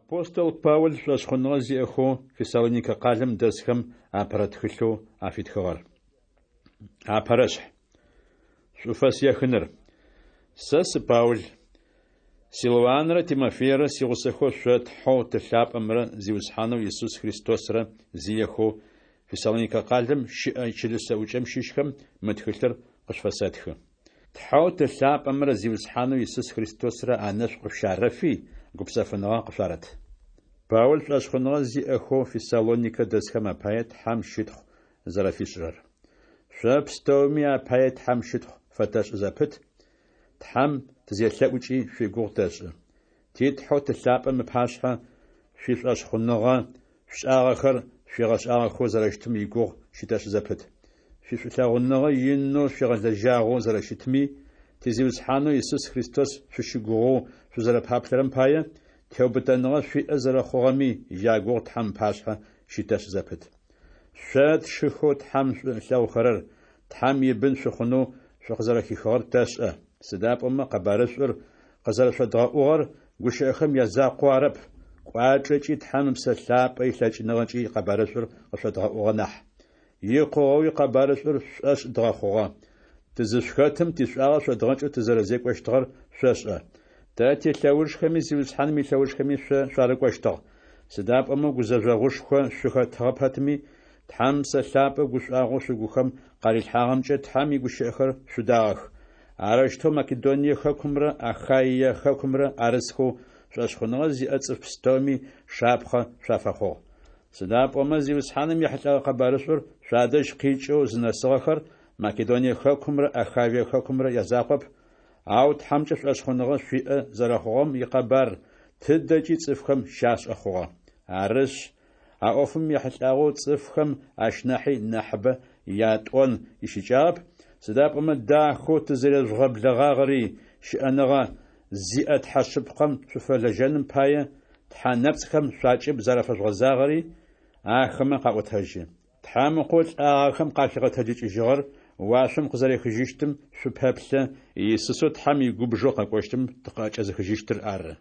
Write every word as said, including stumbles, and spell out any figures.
Апостол Паул шӏошъхъуныгъэ зиӏэхэу Фессалоникэ къалэм дэсхэм апэрэ тхылъэу афитхыгъэр. Апэрэшъхь. Шӏуфэс ехыныр. Сэ сы Паул. Силуанрэ Тимофейрэ сигъусэхэу шъо Тхьэу Ты лъапӏэмрэ Зиусхьанэу Исус Христосрэ зиехэу Фессалоникэ къалэм щыӏэ чылыс зэӏукӏэм щыщхэм мы тхылъыр къышъуфэсэтхы. Тхьэу Ты лъапӏэмрэ Зиусхьанэу Исус Христосрэ анэшӏу къышъущарэфи, гупсэфыныгъэ къышъуарэт. Паул шӏошъхъуныгъэ зиӏэхэу Фессалоникэ дэсхэм апае Тхьэм щытхъу зэрэфишӏырэр. Шъо пстэуми апае Тхьэм щытхъу фэтэшӏы зэпыт, Тхьэм тызелъэӏукӏи шъуигугъу тэшӏы. Ти Тхьэу Ты лъапӏэм ыпашъхьэ шъуишӏошъхъуныгъэ, шъушӏагъэхэр шъуигъэшӏагъэхэу зэрэщытым игугъу щытэшӏы зэпыт. Шъуишӏулъэгъуныгъэ инэу шъуигъэлэжьагъэу зэрэщытми, ти Зиусхьанэу Исус Христос шъущыгугъэу шъузэрэпаплъэрэм пае, теубытэныгъэ шъуиӏэ зэрэхъугъэми ягугъу Тхьэм ыпашъхьэ щытэшӏы зэпыт. Шъо тшыхэу Тхьэм шӏу ылъэгъухэрэр, Тхьэм ибын шъухъунэу шъукъызэрэхихыгъэр тэшӏэ. Сыда пӏомэ къэбарышӏур къызэрэшъодгъэӏугъэр гущыӏэхэм язакъоу арэп, кӏуачӏэкӏи Тхьэм Ыпсэ Лъапӏэ илъэкӏыныгъэкӏи къэбарышӏур къышъодгъэӏугъэ нахь. Икъугъэуи къэбарышӏур шъушӏошъ дгъэхъугъэ. Тызышъухэтым тишӏуагъэ шъодгъэкӏэу тызэрэзекӏощтыгъэр шъошӏэ. Тэ тилъэужхэми Зиусхьаным илъэужхэми шъо шъуарыкӏощтыгъ. Сыда пӏомэ гузэжъогъушхо шъухэтыгъэ пэтми, Тхьэм Ыпсэ Лъапӏэ гушӏуагъоу шъугухэм къарилъхьагъэмкӏэ Тхьэм игущыӏэхэр шъудагъэх. Арэущтэу Македоние хэкумрэ Ахаие хэкумрэ арысхэу шӏошъхъуныгъэ зиӏэ цӏыф пстэуми шапхъэ шъуафэхъугъ. Сыда пӏомэ Зиусхьаным ехьылӏэгъэ къэбарышӏур шъуадэжь къикӏэу зынэсыгъэхэр Македоние хэкумрэ Ахаие хэкумрэ язакъоп, ау Тхьэмкӏэ шӏошъхъуныгъэ шъуиӏэ зэрэхъугъэм икъэбар тыдэкӏи цӏыфхэм щашӏэ хъугъэ. Арышъ, а ӏофым ехьылӏагъэу цӏыфхэм ащ нахьи нахьыбэ ятӏон ищыкӏагъэп, сыда пӏомэ дахэу тызэрежъугъэблэгъагъэри, щыӏэныгъэ зиӏэ Тхьэ шъыпкъэм шъуфэлэжьэным пае тхьэ нэпцӏхэм шъуакӏыб зэрафэжъугъэзагъэри ахэмэ къаӏотэжьы. Тхьэм Ыкъоу лӏагъэхэм къахигъэтэджыкӏыжьыгъэр уашъом къызэрехыжьыщтым шъупэплъэ, Иисусэу Тхьэм игубжэу къэкӏощтым тыкъыӏэкӏэзыхыжьыщтыр ары.